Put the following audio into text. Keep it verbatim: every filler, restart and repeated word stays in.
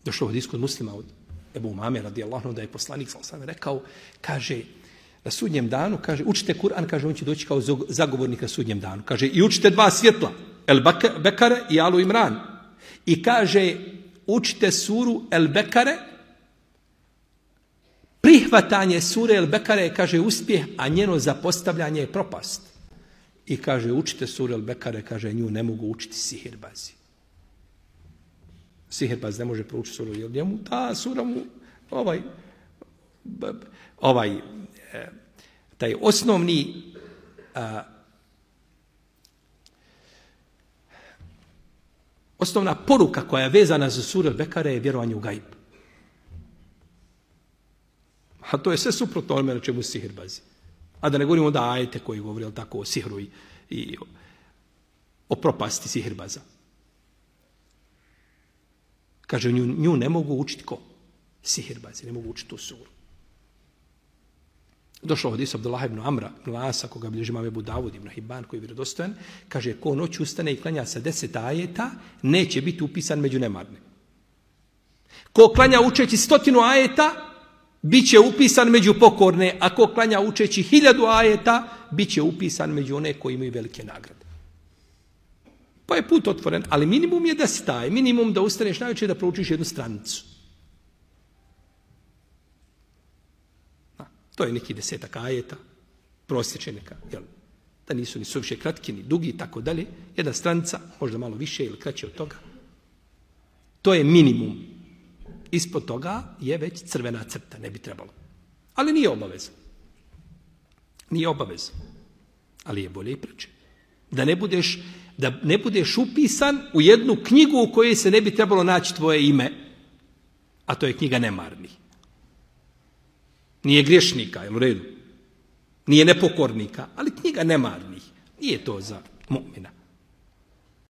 Došlo od iskod muslima od Ebu Umame radijallahu anhu da je poslanik sallallahu alejhi ve sellem rekao, kaže, na sudnjem danu, kaže, učite Kur'an, kaže, on će doći kao zagovornik na sudnjem danu. Kaže, i učite dva svjetla, El Bekare i Alu Imran. I kaže, učite suru El Bekare, prihvatanje sure El Bekare, kaže, uspjeh, a njeno zapostavljanje je propast. I kaže, učite suru El Bekare, kaže, nju ne mogu učiti sihirbazi. Sihirbaz ne može proučiti suru, jer njemu ta sura mu, ovaj, ovaj, taj osnovni a, osnovna poruka koja je vezana za suru El Bekare je vjerovanje u gajb. A to je sve suprotno onome na čemu sihirbazi. A da ne govorimo da ajete koji govori tako o sihru i, i o, o propasti sihirbaza. Kaže, nju, nju ne mogu učiti ko? Sihirbazi, ne mogu učiti tu suru. Došao od Isa Abdullah ibn Amra, ibn Lasa, koga bilježi imam Ebu Davud ibn Hibban, koji je vjerodostojan, kaže, ko noć ustane i klanja sa deset ajeta, neće biti upisan među nemarne. Ko klanja učeći stotinu ajeta, bit će upisan među pokorne, a ko klanja učeći hiljadu ajeta, bit će upisan među one koji imaju velike nagrade. Pa je put otvoren, ali minimum je da si taj, minimum da ustaneš najveće da proučiš jednu stranicu. To je neki desetak ajeta, prosječe neka, jel, da nisu ni suviše kratki, ni dugi, tako dalje. Jedna stranica, možda malo više ili kraće od toga. To je minimum. Ispod toga je već crvena crta, ne bi trebalo. Ali nije obaveza. Nije obaveza. Ali je bolje i preče. Da ne budeš, da ne budeš upisan u jednu knjigu u kojoj se ne bi trebalo naći tvoje ime, a to je knjiga nemarnih. Nije griješnika, jel u redu? Nije nepokornika, ali knjiga nemarnih. Nije to za mu'mina.